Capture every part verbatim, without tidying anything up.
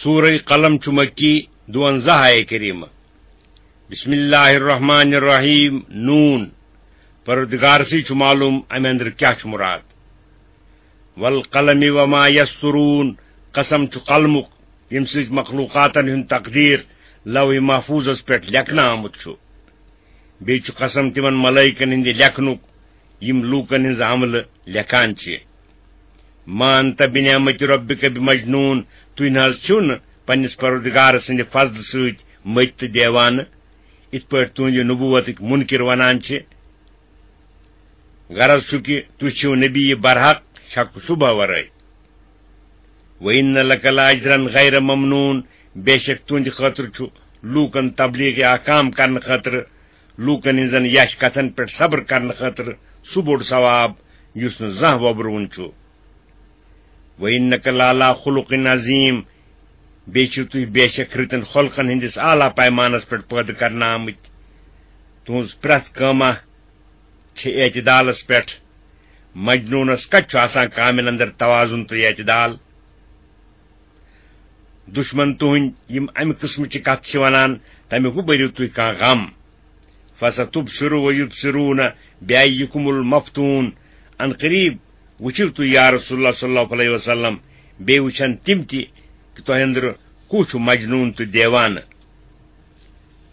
سورہ قلم چھُ مکی، دُوَنزاہ آیہ کریمہ۔ بسم اللہ الرحمن الرحیم، نون۔ پروردگار سٕے چھُ معلوم امہِ اندرٕ کیاہ چھُ مراد۔ والقلم وما یسطرون، قسم چھُ قلمُک، ییٚمہِ سۭتۍ مخلوقاتن ہُنٛد تقدیر لوح محفوظس پٮ۪ٹھ لیکھنہٕ آمُت چھُ۔ بیٚیہِ چھُ قسم تِمن ملائکن ہٕنٛدِ لیکھنُک، یِم لوٗکن ہٕنٛز عملہٕ لیکھان چھِ۔ ما انت بنعمت ربک بمجنون، تُہۍ نہ حظ چھِو نہٕ پننِس پروردگار سٕنٛدِ فضلہٕ سۭتۍ مٔتۍ تہٕ دیوانہٕ، یِتھ پٲٹھۍ تُہنٛدِ نبوتٕکۍ منکر ونان چھِ۔ غرض چھُ کہِ تُہۍ چھِو نبی برحق، شک و شبہ ورٲے۔ وَإِنَّ لَكَ لَأَجْرًا غَيْرَ مَمْنُونٍ، بے شک تُہنٛدِ خٲطرٕ چھُ لوٗکن تبلیغ احکام کرنہٕ خٲطرٕ، لوٗکن ہٕنٛزن یش کتھن پٮ۪ٹھ صبر کرنہٕ خٲطرٕ سُہ بوٚڑ ثواب یُس نہٕ زانٛہہ وۄبرُوُن چھُ۔ وَإِنَّكَ لَعَلَىٰ خُلُقٍ عَظِيمٍ، بیٚیہِ چھِو تُہۍ بے شک رٕتن خلقن ہٕنٛدِس اعلیٰ پیمانس پٮ۪ٹھ پٲدٕ کرنہٕ آمٕتۍ۔ تُہنٛز پرٛٮ۪تھ کٲمہ چھِ اعتدالس پٮ۪ٹھ۔ مجنوٗنس کتہِ چھُ آسان کامٮ۪ن اندر توازن تہٕ اعتدال؟ دشمن تُہنٛدۍ یِم امہِ قٕسمٕچہِ کتھٕ چھِ ونان، تمیُک مہٕ بٔرِو تُہۍ کانٛہہ غم۔ فَسَتُبْصِرُ وَيُبْصِرُونَ بِأَيِّكُمُ الْمَفْتُونُ، ان قریب وٕچھِو تُہۍ یا رسول اللہ صلی اللہ علیہ وسلم، بیٚیہِ وٕچھن تِم تہِ کہِ تۄہہِ اندرٕ کُس چھُ مجنوٗن تہٕ دیوانہٕ۔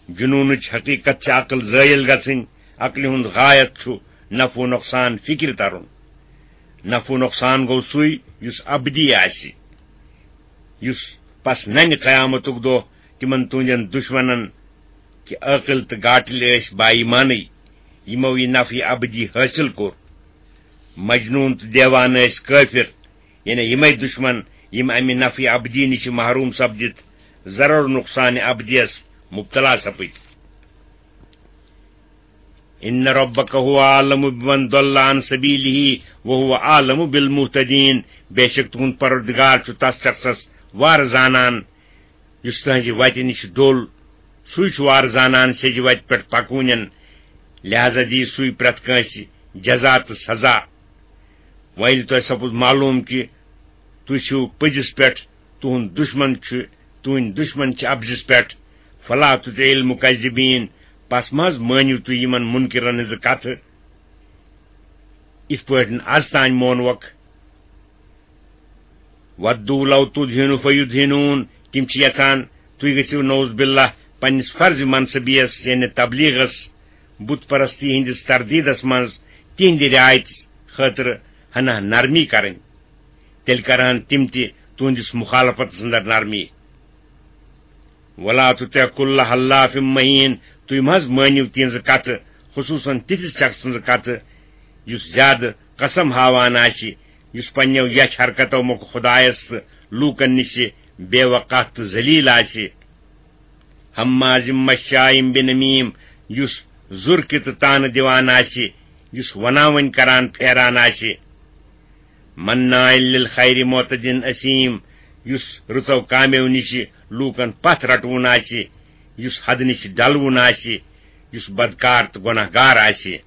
جنوٗنٕچ حقیقت چھِ عقل زٲیِل گژھٕنۍ، عقلہِ ہُنٛد غایت چھُ نفع و نۄقصان فکرِ ترُن۔ نفع و نۄقصان گوٚو سُے یُس ابدی آسہِ، یُس پس ننہِ قیامتُک دۄہ تِمن تُہنٛدٮ۪ن دشمنن کہِ عٲقل تہٕ گاٹٕلۍ ٲسۍ با ایمانٕے، یِمو یہِ نفع ابدی حٲصِل کوٚر۔ مجنوٗن تہٕ دیوانہٕ ٲسۍ کٲفر، یعنی یِمے دشمن یِم امہِ نفع ابدی نِش محروم سپدِتھ ضرر نقصان ابدیس مبتلا سپٕدۍ۔ ان ربک هو اعلم بمن ضل عن سبیلہ وهو اعلم بالمهتدین، بے شک تُہُنٛد پروردگار چھُ تس شخصس وارٕ زانان یُس تُہنٛزِ وتہِ نِش ڈوٚل، سُے چھُ وارٕ زانان سیٚزِ وتہِ پٮ۪ٹھ پکوٕنٮ۪ن، لہذا دِیہِ سُے پرٛٮ۪تھ کٲنٛسہِ جزا تہٕ سزا۔ وۄنۍ ییٚلہِ تۄہہِ سپُد معلوم کہِ تُہۍ چھِو پٔزِس پٮ۪ٹھ، تُہُنٛد دُشمن چھُ، تُہٕنٛدۍ دُشمن چھِ اپزِس پٮ۪ٹھ، فلا تطع المکذبین، پس مہ حظ مٲنِو تُہۍ یِمن منکرن ہٕنٛزٕ کتھٕ، یِتھ پٲٹھۍ از تام مونوکھ۔ وَدُّوا لَوْ تُدْهِنُ فَيُدْهِنُونَ، تِم چھِ یژھان تُہۍ گٔژھِو نعوذ باللہ پننِس فرض منصبیس یعنی تبلیغس، بت پرستی ہٕنٛدِس تردیدس منٛز تِہنٛدِ رعایتہِ خٲطرٕ ہنا نرمی کرٕنۍ۔ تیٚلہِ کرہن تِم تہِ تُہنٛدِس مخالفتس اندر نرمی۔ وَلَا تُطِعْ كُلَّ حَلَّافٍ مَّهِينٍ، تُہۍ مہ حظ مٲنِو تِہنٛزٕ کتھٕ، خصوصاً تِتھِس شخص سٕنٛزٕ کتھٕ یُس زیادٕ قسم ہاوان آسہِ، یُس پننیو یچھ حرکتو مۄکھٕ خدایس تہٕ لوٗکن نِش بے وقاحت تہٕ ذلیل آسہِ۔ ہمازٍ مشاء بنمیم، یُس زُرکہِ تہٕ تانہٕ دِوان آسہِ، یُس وناوٕنۍ کران پھیران آسہِ۔ مناع للخیر معتد اثیم، یُس رٕژو کامیو نِش لوٗکن پتھ رٹوُن آسہِ، یُس حدٕ نِش ڈلوُن آسہِ، یُس بدکار تہٕ گۄناہ گار آسہِ۔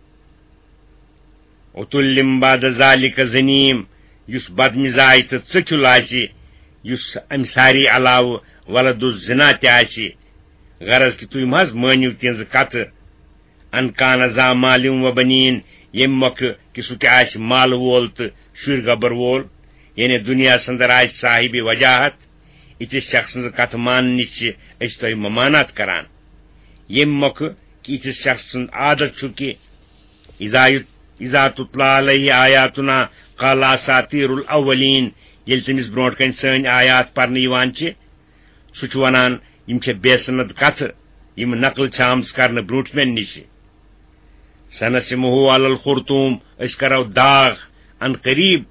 عتل بعد ذلک زنیم، یُس بدمزاج تہٕ ژٔکھیُل آسہِ، یُس امہِ ساری علاوٕ ولد الزنا تہِ آسہِ۔ غرض کہِ تُہۍ مہ حظ مٲنِو تِہنٛزٕ کتھٕ۔ ان کان ذا مال و بنین، ییٚمہِ مۄکھٕ کہِ سُہ تہِ آسہِ مال وول تہٕ شُرۍ گبر وول، یعنی دُنیاہس اندر آسہِ صاحب وجاہت، یِتھِس شخص سٕنٛز کتھ ماننٕچ چھِ أسۍ تۄہہِ ممانعت کران۔ ییٚمہِ مۄکھٕ کہِ یِتھِس شخص سُنٛد عادت چھُ کہِ اذا یت-، اذا تتلی علیہ آیاتنا قال اساطیر الاولین، ییٚلہِ تٔمِس برونٛٹھ کنہِ سٲنۍ آیات پرنہٕ یِوان چھِ، سُہ چھُ ونان، یِم چھےٚ بے سند کتھٕ، یِم نقل چھےٚ آمژٕ کرنہٕ برونٹھ مےٚ نِش۔ سنسمہ علی الخرطوم، أسۍ کرو داغ ان قریب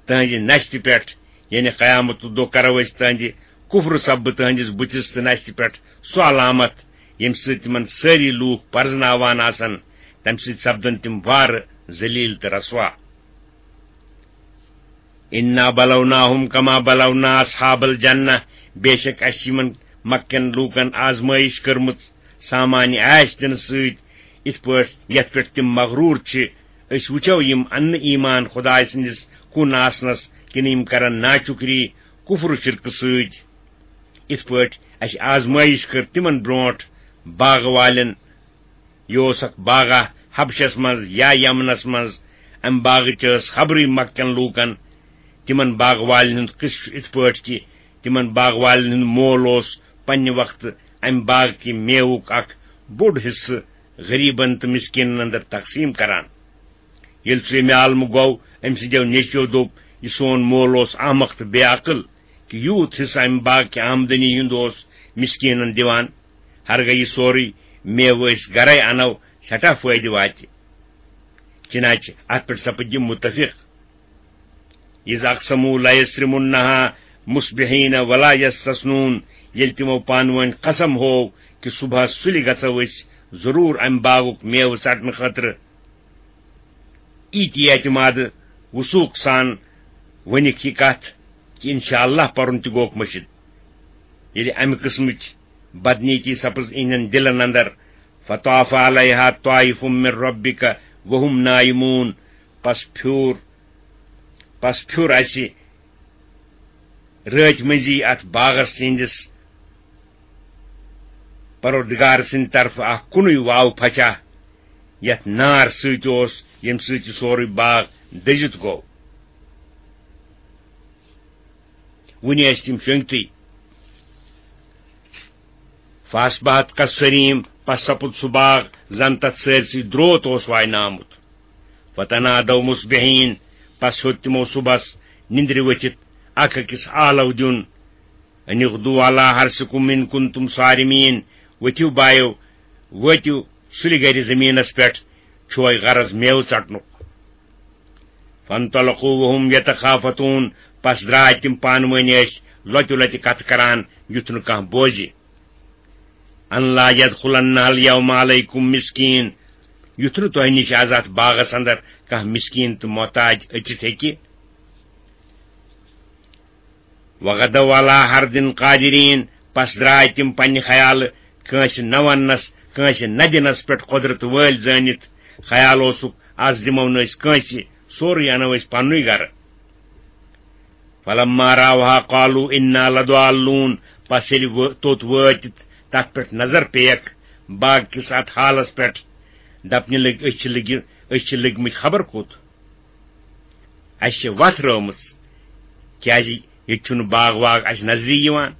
تہنٛزِ نشتہِ پٮ۪ٹھ، یعنی قیامت دۄہ کرو أسۍ تہنٛدِ کفر سببہٕ تہنٛدِس بُتھِس تہٕ نشتہِ پٮ۪ٹھ سُہ علامت، ییٚمہِ سۭتۍ تِمن سٲری لوٗکھ پرزناوان آسن، تمہِ سۭتۍ سپدن تِم وارٕ ذلیل تہٕ رسوا۔ انا بلوناہم کما بلونا اصحاب الجنہ، بے شک اسہِ چھِ یِمن مکہ کٮ۪ن لوٗکن آزمٲیش کٔرمٕژ سامان آش دِنہٕ سۭتۍ، یِتھ پٲٹھۍ یتھ پٮ۪ٹھ تِم مغرور چھِ۔ أسۍ وٕچھو یِم اننہٕ ایمان خدایہِ سٕنٛدِس کُن آسنس کِنہٕ یِم کرن ناشُکری کفر و شرکہٕ سۭتۍ۔ یِتھ پٲٹھۍ اَسہِ آزمٲیِش کٔر تِمن برونٛٹھ باغہٕ والٮ۪ن، یہِ اوس اکھ باغہ حبشس منٛز یا یمنس منٛز، امہِ باغٕچ ٲس خبرٕے مکہ کٮ۪ن لوٗکن۔ تِمن باغہٕ والٮ۪ن ہُنٛد قصہٕ چھُ یِتھ پٲٹھۍ کہِ تِمن باغہٕ والٮ۪ن ہُنٛد مول اوس پننہِ وقتہٕ امہِ باغہٕ کہِ میوُک اکھ بوٚڑ حصہٕ غریبن تہٕ مسکینن اندر تقسیم کران۔ ییٚلہِ سُہ ییٚمہِ عالمہٕ گوٚو، أمۍ سٕنٛدیو نیٚچویو دوٚپ، "یہِ سون مول اوس احمق تہٕ بے عقل، کہِ یوٗت حصہٕ امہِ باغہٕ کہِ آمدنی ہُنٛد اوس مسکینن دِوان۔ ہرگاہ یہِ سورُے میوٕ أسۍ گرے انو، سٮ۪ٹھاہ فٲیدٕ واتہِ۔" چنانچہ اتھ پٮ۪ٹھ سپٕدۍ یِم متفق۔ "اذ اقسموا لیصرمنها مصبحین ولا یستثنون"، ییٚلہِ تِمو پانہٕ وٲنۍ قسم ہوو کہِ صبحس سُلہِ گژھو أسۍ ضروٗر امہِ باغُک میوٕ ژٹنہٕ خٲطرٕ۔ یی تہِ اعتماد وثوق سان ؤنِکھ یہِ کتھ کہِ انشاءاللہ پرُن تہِ گوکھ مٔشِد۔ ییٚلہِ امہِ قٕسمٕچ بدنیتی سپٕز اِہنٛدٮ۪ن دِلن اندر، "فطاف علیہا طائف من ربک وهم نائمون"، پس پھیوٗر، پس پھیوٗر اسہِ رٲتۍ مٔنٛزی اتھ باغس تِہنٛدِس پروردگار سٕنٛدِ طرفہٕ اکھ کُنُے واو پھچا، یتھ نار سۭتۍ اوس، ییٚمہِ سۭتۍ یہِ سورُے باغ دٔزِتھ گوٚو۔ وُنہِ ٲسۍ تِم شۄنٛگتھٕے۔ "فاصبحت کالصریم"، پس سپُد سُہ باغ زن تتھ سٲرسٕے دروت اوس واینہٕ آمُت۔ "فتنادوا مصبحین"، پس ہیوٚت تِمو صبحس نِندرِ ؤتھِتھ اکھ أکِس آلو دیُن، "ان اغدوا علی حرثکم ان کنتم صارمین"، ؤتھِو بایو، وٲتِو سُلہِ گرِ زٔمیٖنس پٮ۪ٹھ، چھُوے غرض میوٕ ژٹنُک۔ "فانطلقوا وهم یتخافتون"، پس درٛاے تِم پانہٕ وٲنۍ ٲسۍ لۄتہِ لۄتہِ کتھٕ کران، یُتھ نہٕ کانٛہہ بوزِ۔ "ان لا یدخلنها الیوم علیکم مسکین"، یُتھ نہٕ تۄہہِ نِش از اتھ باغس اندر کانٛہہ مسکین تہٕ محتاج أژِتھ ہیٚکہِ۔ "وغدوا علی حرد قادرین"، پس درٛاے تِم پننہِ خیالہٕ کٲنٛسہِ نہ وننس، کٲنٛسہِ نہ دِنس پٮ۪ٹھ قۄدرت وٲلۍ زٲنِتھ۔ خیال اوسُکھ، از دِمو نہٕ أسۍ کٲنٛسہِ، سورُے انو أسۍ پننُے گرٕ۔ "فلما راوها قالوا انا لضالون"، پس ییٚلہِ وٲ-، توٚت وٲتِتھ تتھ پٮ۪ٹھ نظر پیکھ باغ کِس اتھ حالس پٮ۪ٹھ، دپنہِ لٔگۍ، "أسۍ چھِ لٔگۍ، أسۍ چھِ لٔگۍ مٕتۍ خبر کوٚت۔ اسہِ چھِ وتھ رٲومٕژ، کیازِ ییٚتہِ چھُنہٕ باغ واغ اسہِ نظرِ یِوان۔"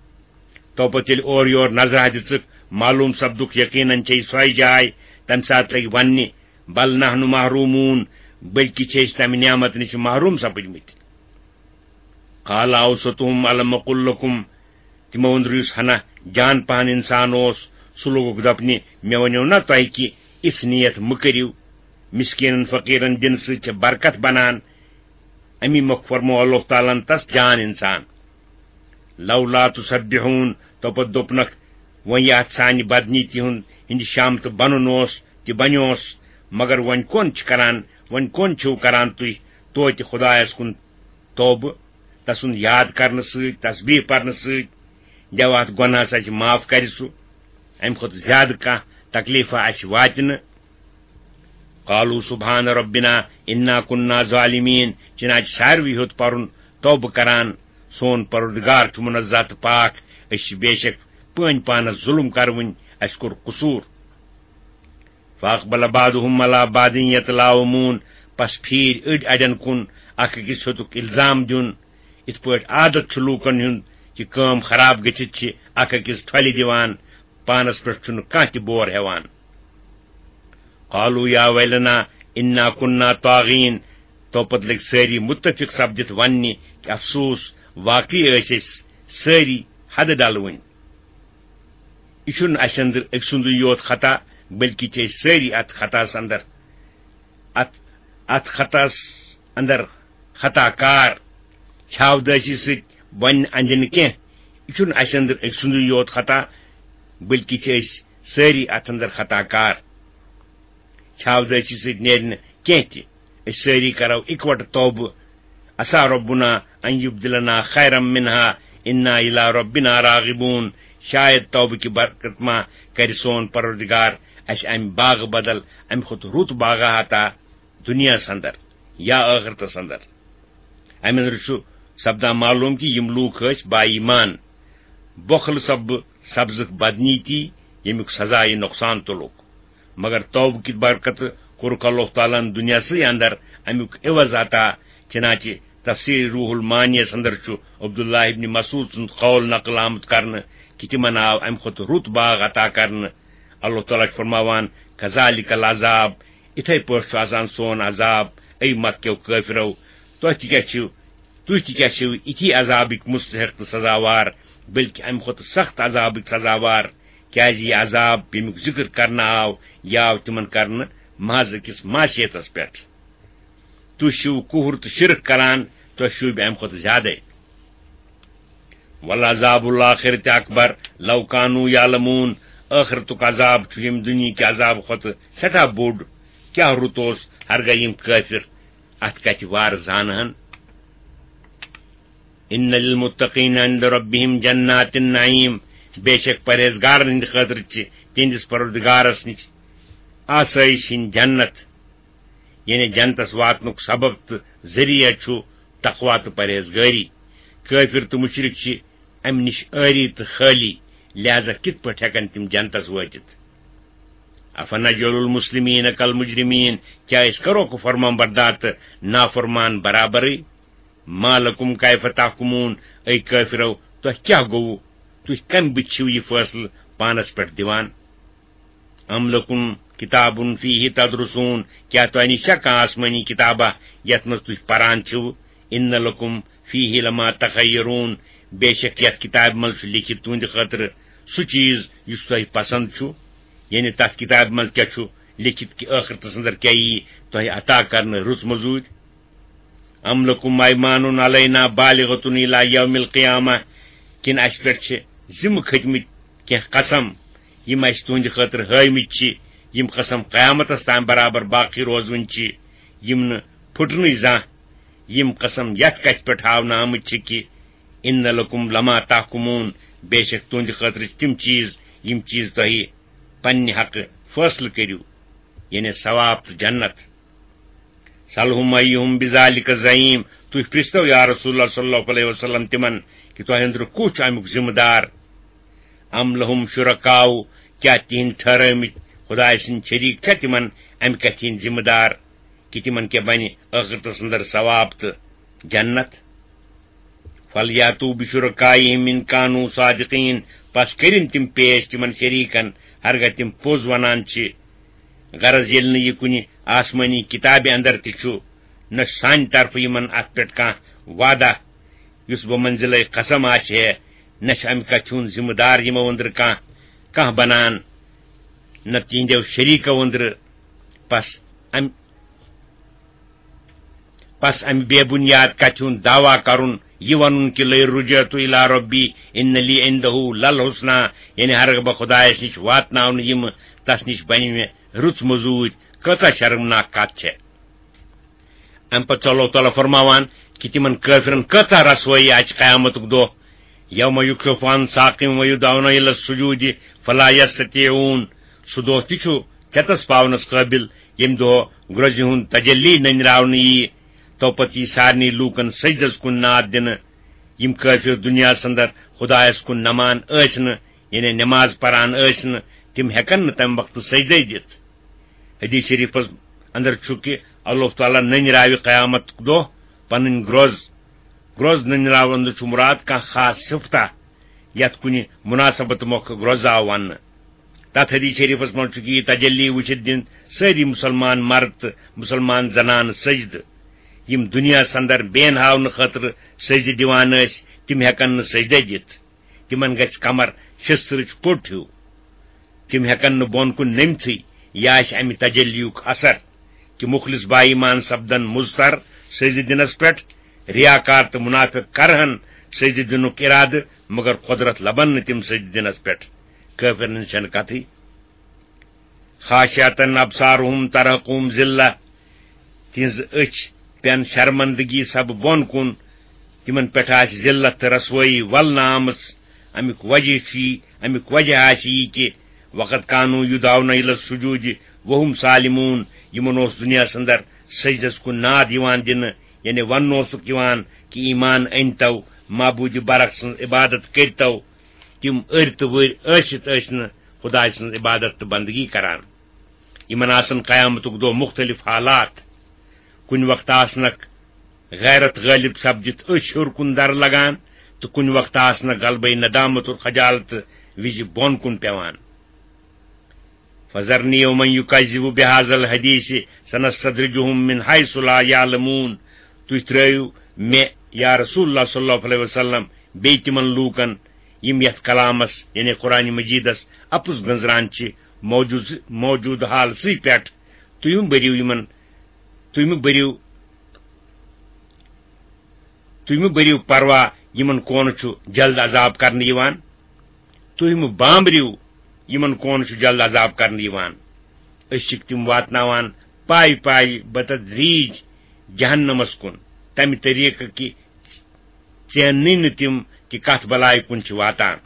تو پتہٕ ییٚلہِ اورٕ یور نظرہ دِژٕکھ، معلوم سپدُکھ یقیناً چھے سۄے جاے، تمہِ ساتہٕ لٔگۍ وننہِ، "بل نحن محرومون"، بلکہِ چھِ أسۍ تمہِ نعمت نِش محروم سپٕدمٕتۍ۔ "قال اوسطهم الم اقل لكم"، تِمو أنٛدرٕ یُس ہنا جان پہن انسان اوس، سُہ لوگُکھ دپنہِ، "مےٚ ونیو نا تۄہہِ کہِ اِژھ نیت مہٕ کٔرِو، مسکینن فقیرن دِنہٕ سۭتۍ چھِ برکت بنان"۔ امی مۄکھ فرموو اللہ تعالیٰ ہن تس جان انسان۔ "لولا تسبحون"، تو پتہٕ دوٚپنکھ، وۄنۍ یہِ اتھ سانہِ بدنیتی ہُنٛد، ہٕنٛدِ شامتہٕ بنُن اوس، تہِ بنیوس، مگر وۄنۍ کون چھِ کران، وۄنۍ کون چھِو کران تُہۍ توتہِ خدایس کُن توبہٕ، تسُنٛد یاد کرنہٕ سۭتۍ، تسبیح پرنہٕ سۭتۍ؟ دیو اتھ گۄناہس اسہِ معاف، کرِ سُہ امہِ کھۄتہٕ زیادٕ کانٛہہ تکلیفہ اسہِ واتہِ نہٕ۔ "قالوا سبحان ربنا انا كنا ظالمين"، چنانچہ ساروی ہیوٚت پرُن توبہٕ کران، "سون پروردگار چھُ منزہ تہٕ پاک، أسۍ چھِ بے شک پٲنۍ پانس ظلم کروٕنۍ، اسہِ کوٚر قصوٗر۔" "فاقبل بعضهم على بعض يتلاومون"، پس پھیٖرۍ أڑۍ اڑٮ۪ن کُن، اکھ أکِس ہیوٚتُکھ الزام دیُن۔ یِتھ پٲٹھۍ عادت چھُ لوٗکن ہُنٛد کہِ کٲم خراب گٔژھِتھ چھِ اکھ أکِس ٹھۄلہِ دِوان، پانس پٮ۪ٹھ چھُنہٕ کانٛہہ تہِ بور ہٮ۪وان۔ "قالوا يا ويلنا إنا كنا طاغين"، تو پتہٕ لٔگۍ سٲری مُتفِق سپدِتھ وننہِ کہِ افسوس، واقعی ٲسۍ أسۍ سٲری حدٕ ڈلوٕنۍ۔ یہِ چھُنہٕ اسہِ اندر أکۍ سُنٛدُے یوت خطا، بلکہِ چھِ أسۍ سٲری اتھ خطاہس اندر، اتھ، اتھ خطاہس اندر خطا کار۔ چھاودٲسی سۭتۍ وننہِ اندِ نہٕ کینٛہہ، یہِ چھُنہٕ اسہِ اندر أکۍ سُنٛدُے یوت خطا، بلکہِ چھِ أسۍ سٲری اتھ اندر خطا کار۔ چھاودٲسی سۭتۍ نیرِ نہٕ کینٛہہ تہِ۔ أسۍ سٲری کرو اِکوٹہٕ توبہٕ۔ "عسى ربنا أن يبدلنا خيرا منها إنا إلى ربنا راغبون"، شاید توبہٕ کہِ برکت ما کرِ سون پروردگار اسہِ امہِ باغہٕ بدل امہِ کھۄتہٕ رُت باغا عطا دُنیاہس اندر یا ٲخرتس اندر۔ امہِ اندرٕ چھُ سپدان معلوم کہِ یِم لوٗکھ ٲسۍ با ایمان۔ بۄخلہٕ سببہٕ سپزٕکھ بدنیتی، ییٚمیُک سزا یہِ نۄقصان تُلُکھ۔ مگر توبہٕ کہِ برکتہٕ کوٚرُکھ اللہ تعالیٰ ہن دُنیاہسٕے اندر امیُک عوض عطا۔ چنانچہ تفسیر روح المعنیس اندر چھُ عبداللہ ابن مسعود سُنٛد قول نقل آمُت کرنہٕ کہِ تِمن آو امہِ کھۄتہٕ رُت باغ عطا کرنہٕ۔ اللہ تعالیٰ چھُ فرماوان، "کذالک العذاب"، اِتھے پٲٹھۍ چھُ آسان سون عذاب، اے مکہ کیو کٲفرو۔ تۄہہِ تہِ کیٛاہ چھِو، تُہۍ تہِ کیٛاہ چھِو اِتھی عذابٕکۍ مستحق تہٕ سزاوار، بلکہِ امہِ کھۄتہٕ سخت عذابٕکۍ سزاوار؟ کیٛازِ یہِ عذاب، ییٚمیُک ذکر کرنہٕ آو، یہِ آو تِمن کرنہٕ محض أکِس معصیتس پٮ۪ٹھ۔ تُہۍ چھِو کُفر تہٕ شرک کران، تۄہہِ شوٗبہِ امہِ کھۄتہٕ زیادَے۔ "ولعذاب الآخرۃ اکبر لو کانوا یعلمون"، ٲخرتُک عذاب چھُ ییٚمہِ دُنیہٕکہِ عذاب کھۄتہٕ سٮ۪ٹھاہ بوٚڑ۔ کیٛاہ رُت اوس، ہرگاہ یِم کٲفِر اتھ کتھِ وارٕ زانہٕ ہن۔ "ان للمتقین عند ربهم جنات النعیم"، بے شک پرہیزگارن ہٕنٛدِ خٲطرٕ چھِ تِہنٛدِس پروردگارس نِش آسٲیِش ہٕنٛدۍ جنت، یعنی جنتس واتنُک سبب تہٕ ذٔریعہٕ چھُ تقوی تہٕ پرہیزگٲری۔ کٲفِر تہٕ مُشرِک چھِ امہِ نِش عٲری تہٕ خٲلی، لہذا کِتھ پٲٹھۍ ہٮ۪کن تِم جنتس وٲتِتھ؟ "افنجعل المسلمین کالمجرمین"، کیٛاہ أسۍ کرو کُفر فرمان بردار تہٕ نافرمان برابرٕے؟ "ما لکم کیف تحکمون"، اے کٲفرو، تۄہہِ کیٛاہ گوٚوٕ؟ تُہۍ کمہِ بُتھِ چھِو یہِ فٲصلہٕ پانس پٮ۪ٹھ دِوان؟ "ام لکم کتاب فیہ تدرسون"، کیٛاہ تۄہہِ نِش چھا کانٛہہ آسمٲنی کِتابہ یتھ منٛز تُہۍ پران چھِو؟ "ان لکم فیہ لما تخیرون"، بے شک یتھ کتابہِ منٛز چھُ لیکھِتھ تُہنٛدِ خٲطرٕ سُہ چیز یُس تۄہہِ پسند چھُ۔ یعنی تتھ کتابہِ منٛز کیٛاہ چھُ لیکھِتھ کہِ ٲخرتس اندر کیٛاہ یی تۄہہِ عطا کرنہٕ رٕژ مٔزوٗرۍ؟ "ام لکم ایمان علینا بالغۃ الی یوم القیامہ"، کِنہٕ اسہِ پٮ۪ٹھ چھِ ذمہٕ کھٔتۍ مٕتۍ کینٛہہ قسم، یِم اسہِ تُہنٛدِ خٲطرٕ ہٲومٕتۍ چھِ، یِم قسم قیامتس تام برابر باقی روزوٕنۍ چھِ، یِم نہٕ پھُٹنٕے زانٛہہ، یِم قسم یتھ کتھِ پٮ۪ٹھ ہاونہٕ آمٕتۍ چھِ کہِ "ان لکم لما تحکمون"، بے شک تُہنٛدِ خٲطرٕ چھِ تِم چیز، یِم چیز تۄہہِ پننہِ حقہٕ فٲصلہٕ کٔرِو، یعنی ثواب تہٕ جنت۔ "سلہم ایہم بذالک زعیم"، تُہۍ پرژھتو یا رسول اللہ صلی اللہ علیہ وسلم تِمن کہِ تۄہہِ أنٛدرٕ کُس چھُ امیُک ذمہٕ دار؟ "ام لہم شرکاء"، کیٛاہ تِہنٛدۍ ٹھہرٲومٕتۍ خدایہِ سٕنٛدۍ شریٖک چھا تِمن امہِ کتھِ ہٕنٛدۍ ذمہٕ دار کہِ تِمن کیٛاہ بنہِ ٲخرتس اندر ثواب تہٕ جنت؟ "فلیاتوا بشرکائہم ان کانوا صادقین"، پس کٔرِن تِم پیش تِمن شریٖکن، ہرگاہ تِم پوٚز ونان چھِ۔ غرض، ییٚلہِ نہٕ یہِ کُنہِ آسمٲنی کِتابہِ اندر تہِ چھُ، نہ چھُ سانہِ طرفہٕ یِمن اتھ پٮ۪ٹھ کانٛہہ وعدہ یُس بمنزلے قسم آسہِ ہے، نہ چھُ امہِ کتھِ ہُنٛد ذمہٕ دار یِمو أنٛدرٕ کانٛہہ، کانٛہہ بنان، نہ تِہنٛدیو شریٖکو أنٛدرٕ۔ پس امہِ پس امہِ بے بُنیاد کتھِ ہُنٛد دعویٰ کرُن، یہِ ونُن کہِ "لئن رجعت الی ربی ان لی عندہ للحسنی"، یعنی ہرگاہ بہٕ خدایس نِش واتناونہٕ یِمہٕ، تس نِش بنہِ مےٚ رٕژ مٔزوٗرۍ، کۭژاہ شرمناک کتھ چھےٚ۔ امہِ پتہٕ چھُ اللہ تعالیٰ فرماوان کہِ تِمن کٲفرن کۭژاہ رسوٲیی آسہِ قیامتُک دۄہ، "یوم یکشف عن ساق ویدعون الی السجود فلا یستطیعون"، سُہ دۄہ تہِ چھُ چٮ۪تس پاونس قٲبِل، ییٚمہِ دۄہ گرٛۄزِ ہُنٛد تجلی نٔنراونہٕ ییہِ، توپتہٕ یی سارنٕے لوٗکن سجدس کُن ناد دِنہٕ۔ یِم کٲفِر دُنیاہس اندر خدایس کُن نمان ٲسۍ نہٕ، یعنی نماز پران ٲسۍ نہٕ، تِم ہٮ۪کن نہٕ تمہِ وقتہٕ سجدے دِتھ۔ حدیث شریفس اندر چھُ کہِ اللہ تعالیٰ نٔنراوِ قیامت دۄہ پنٕنۍ گرٛۄز۔ گرٛۄز نٔنراونہٕ چھُ مراد کانٛہہ خاص صفتہ، یتھ کُنہِ مناسبت مۄکھٕ گرٛۄز آو وننہٕ۔ تتھ حدیث شریفس منٛز چھُ کہِ یہِ تجلی وٕچھِتھ دِن سٲری مسلمان مرد تہٕ مسلمان زنانہٕ سجدٕ۔ یِم دُنیاہس اندر بے ہاونہٕ خٲطرٕ سجدٕ دِوان ٲسۍ، تِم ہٮ۪کن نہٕ سجدے دِتھ۔ تِمن گژھِ کمر شستٕرٕچ کوٚٹ ہیوٗ۔ تِم ہٮ۪کن نہٕ بۄن کُن نٔمتھٕے۔ یہِ آسہِ امہِ تجلیُک اثر کہِ مخلص با ایمان سپدن مضطر سجدٕ دِنس پٮ۪ٹھ۔ ریاکار تہٕ منافق کرہن سجدٕ دِنُک ارادٕ، مگر قدرت لبن نہٕ تِم سجدٕ دِنس پٮ۪ٹھ۔ کٲفرن ہٕنٛز چھنہٕ کتھٕے۔ "خاشعة ابصارهم ترهقهم ذلة"، تِہنٛز أچھ پٮ۪ن شرمندگی سبہٕ بۄن کُن، تِمن پٮ۪ٹھ آسہِ ذلت تہٕ رسوٲیی ولنہٕ آمٕژ۔ امیُک وجہ چھُ یی، امیُک وجہ آسہِ یی کہِ "وقد كانوا يدعون إلى السجود وهم سالمون"، یِمن اوس دُنیاہس اندر سجدس کُن ناد یِوان دِنہٕ، یعنی وننہٕ اوسُکھ یِوان کہِ "ایمان أنۍتو، معبوٗدِ برحق سٕنٛز عبادت کٔرۍتو"، تِم أرۍ تہٕ ؤرۍ ٲسِتھ ٲسۍ نہٕ خۄداے سٕنٛز عبادت تہٕ بندگی کران۔ یِمن آسن قیامتُک دۄہ مُختٔلِف حالات۔ کُنہِ وقتہٕ آسنکھ غیرت غٲلب سپدِتھ أچھ ہیوٚر کُن درٕ لگان، تہٕ کُنہِ وقتہٕ آسنکھ غلبے ندامت اور خجالت وِزِ بۄن کُن پٮ۪وان۔ فذرنی ومن یکذب بہذا الحدیث سنستدرجہم من حیث لا یعلمون۔ تُہۍ ترٲیِو مےٚ، یا رسول اللہ صلی اللہ علیہ وسلم، بیٚیہِ تِمن لوٗکن، یِم یتھ کلامس، یعنی قرآن مجیدس، اپُز گٔنزران چھِ موجود، موجود حالسٕے پٮ۪ٹھ۔ تُہۍ مہٕ بٔرِو یِمن، تُہۍ مہٕ بٔرِو، تُہۍ مہٕ بٔرِو پروا، یِمن کونہٕ چھُ جلد عذاب کرنہٕ یِوان۔ تُہۍ مہٕ بامبرِو، یِمن کونہٕ چھُ جلد عذاب کرنہٕ یِوان۔ أسۍ چھِکھ تِم واتناوان پایہِ پایہِ بتدریج جہنمس کُن، تمہِ طریقہٕ کہِ ژیننٕے نہٕ تِم کہِ کتھ بلایہِ کُن چھِ واتان۔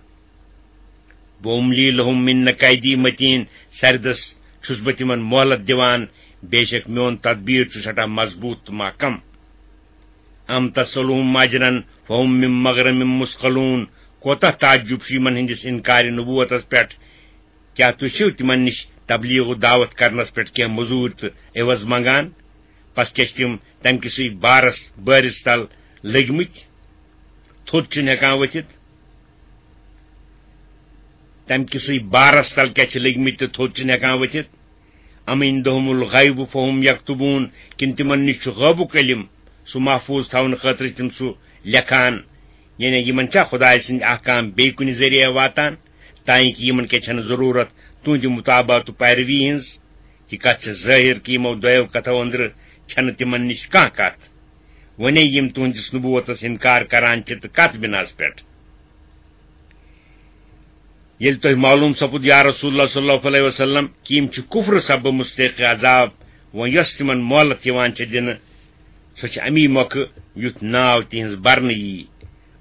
وَأُمْلِي لَهُمْ إِنَّ كَيْدِي مَتِينٌ، سردس چھُس بہٕ تِمن مۄہلت دِوان، بے شک میون تدبیر چھُ سٮ۪ٹھاہ مضبوٗط تہٕ محکم۔ أَمْ تَسْأَلُهُمْ أَجْرًا فَهُمْ مِنْ مَغْرَمٍ مُثْقَلُونَ، کوتاہ تعجب چھُ یِمن ہٕنٛدِس اِنکارِ نبوتس پٮ۪ٹھ۔ کیٛاہ تُہۍ چھِو تِمن نِش تبلیغ و دعوت کرنس پٮ۪ٹھ کینٛہہ مٔزوٗرۍ تہٕ عوض منگان؟ پس کیٛاہ چھِ تِم تمہِ کِسٕے بارس، بٲرِس تل لٔگۍ مٕتۍ، تھوٚد چھِنہٕ ہٮ۪کان ؤتھِتھ؟ تمہِ کِسٕے بارس تل کیٛاہ چھِ لٔگۍ مٕتۍ تہٕ تھوٚد چھِنہٕ ہٮ۪کان ؤتھِتھ؟ أَمْ عِنْدَهُمُ الْغَيْبُ فَهُمْ يَكْتُبُونَ، کِنہٕ تِمن نِش چھُ غٲبُک علم، سُہ محفوظ تھاونہٕ خٲطرٕ چھِ تِم سُہ لیکھان؟ یعنی یِمن چھا خۄداے سٕنٛدۍ احکام بیٚیہِ کُنہِ ذٔریعہٕ واتان، تانۍ کہِ یِمن کیٛاہ چھنہٕ ضروٗرت تُہنٛدِ مطابعت تہٕ پیروی ہٕنٛز؟ یہِ کتھ چھِ ظٲہِر کہِ یِمو دۄیو کتھو أنٛدرٕ چھنہٕ تِمن نِش کانٛہہ کتھ۔ وۄنے یِم تُہنٛدِس نبوتس انکار کران چھِ تہٕ کتھ بناس پٮ۪ٹھ؟ ییٚلہِ تۄہہِ معلوم سپُد، یا رسول اللہ صلی اللہ علیہ وسلم، کہِ یِم چھِ کفر سببہٕ مستحق عذاب، وۄنۍ یۄس تِمن مۄہلت یِوان چھِ دِنہٕ، سۄ چھِ امی مۄکھٕ یُتھ ناو تِہنٛز برنہٕ یی۔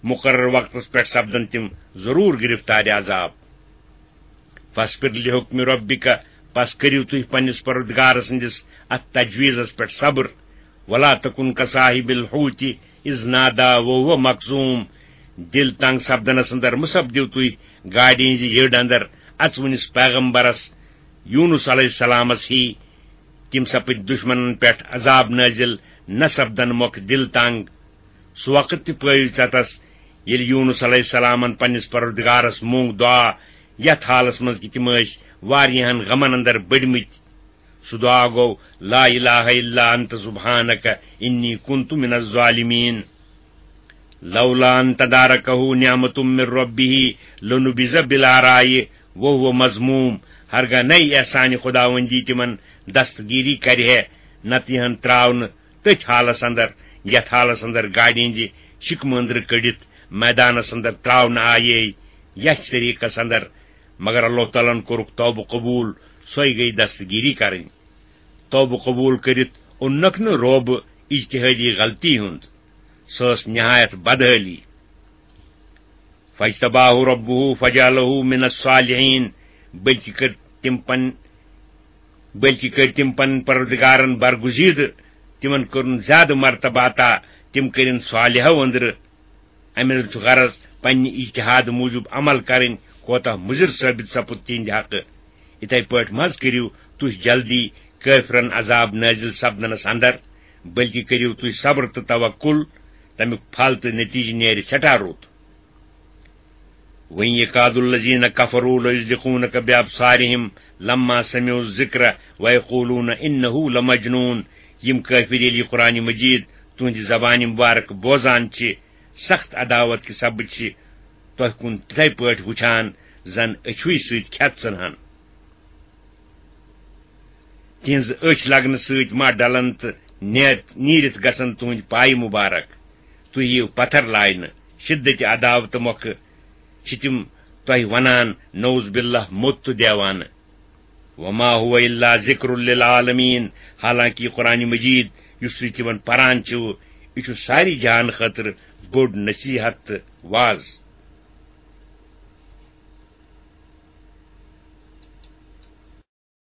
مقرر وقتس پٮ۪ٹھ سپدن تِم ضروٗر گرفتار عذاب۔ فاصبر لحکم ربک، پس کٔرِو تُہۍ پننِس پروردگار سٕنٛدِس اتھ تجویزس پٮ۪ٹھ صبر۔ ولا تکن کصاحب الحوت اذ نادی وهو مکظوم، دل تنگ سپدنس اندر مہ سپدِو تُہۍ گاڈِ ہٕنٛزِ یٔڈ اندر اژوُنِس پیغمبرس یونس علیہ السلامس ہی۔ تِم سپٕدۍ دشمنن پٮ۪ٹھ عذاب نٲزِل، نہ سپدن مۄکھ دل تنگ۔ سُہ وقت تہِ پٲوِو ژٮ۪تس، ییٚلہِ یونس علیہ السلامن پننِس پروردگارس مونگ دعا، یتھ حالس منٛز کہِ تِم ٲسۍ واریاہن غمن اندر بٔڑمٕتۍ۔ سُہ دعا گوٚو، لا الہ الا انت سبحانک انی کنت من الظالمین۔ لولا ان تدارکہ نعمت من ربہ لنبذ بالعراء وہو مذموم۔ ہرگاہ نَے احسانِ خداوندی تِمن دستگیری کرِ ہے، نتہٕ یِہن تراونہٕ تٔتھۍ حالس اندر، یتھ حالس اندر گاڑِ ہٕنٛزِ شِکمہٕ أنٛدرٕ کٔڑِتھ میدانس اندر تراونہٕ آیے، یتھ طریقس اندر۔ مگر اللہ تعالیٰ ہن کوٚرُکھ توبہٕ قبول، سۄے گٔیہِ دستگیری کرٕنۍ۔ توبہٕ قبول کٔرِتھ اوٚننکھ نہٕ روبہٕ اجتہادی غلطی ہُنٛد، سۄ ٲس نہایت بدحٲلی۔ فاجتباہ ربہ فجعلہ من الصالحین، بلکہ کٔر تِم پن بلکہ کٔرۍ تِم پنٕنۍ پروردگارن برگزیدٕ، تِمن کوٚرُن زیادٕ مرتبہ عطا، تِم کٔرِن صالحو أنٛدرٕ۔ امہِ منٛز چھُ غرض پننہِ اجتہاد موٗجوٗب عمل کرٕنۍ کوتاہ مُضِر ثٲبت سپُد تِہنٛدِ حقہٕ۔ یِتھے پٲٹھۍ مہ حظ کٔرِو تُہۍ جلدی کٲفرن عذاب نٲزِل سپدنس اندر، بلکہ کٔرِو تُہۍ صبر تہٕ توکل، تمیُک پھل تہٕ نتیجہٕ نیرِ سٮ۪ٹھاہ رُت۔ وَإِنْ يَكَادُ الَّذِينَ كَفَرُوا لَيُزْلِقُونَكَ بِأَبْصَارِهِمْ لَمَّا سَمِعُوا الذِّكْرَ وَيَقُولُونَ إِنَّهُ لَمَجْنُونَ۔ یِم کٲفِر ییٚلہِ یہِ قرآنِ مجیٖد تُہٕنٛدِ زبانہِ مُبارک بوزان چھِ، سخت عداوت کہِ سببہٕ چھِ تۄہہِ کُن تِتھے پٲٹھۍ وُچھان زن أچھوٕے سۭتۍ کھٮ۪تھ ژھٕنہن۔ تِہنٛز أچھ لگنہٕ سۭتۍ ما ڈلن تہٕ نیت-، نیٖرِتھ گژھن تُہنٛدۍ پایہِ مُبارک۔ تُہۍ یِیِو پتھر لاینہٕ۔ شدت عداوتہٕ مۄکھٕ چھِ تِم تۄہہِ ونان، نعوذ باللہ، موٚت تہٕ دیوانہٕ۔ وما هو الا ذکر للعالمین، حالانکہ یہِ قرآن مجید یُس تُہۍ تِمن پران چھِو، یہِ چھُ ساری جہان خٲطرٕ بوٚڑ نصیحت تہٕ واز۔